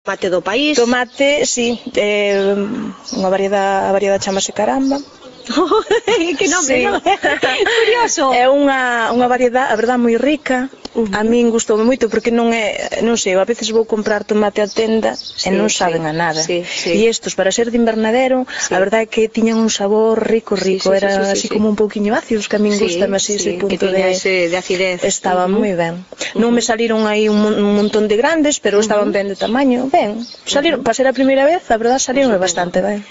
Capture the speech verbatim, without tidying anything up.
Tomate do país. Tomate, si, é unha variedade, a variedade chamase Caramba. Que nome, sí. non? Curioso. É unha, unha variedade, a verdade, moi rica. Uh-huh. A min gustoume moito porque non é, non sei, a veces vou comprar tomate á tenda sí, e non saben sí, a nada. Sí, sí. E estes, para ser de invernadero, sí. A verdade é que tiñan un sabor rico, rico, sí, sí, era sí, sí, así sí, como un pouquiño ácidos, que a min sí, gusta así sí, ese punto que de, ese de acidez. Estaba uh-huh. moi ben. Uh-huh. Non me saliron aí un, un montón de grandes, pero uh-huh. estaban ben de tamaño, ben. Salieron, uh-huh. para ser a primeira vez, a verdade, salieron pues bastante ben.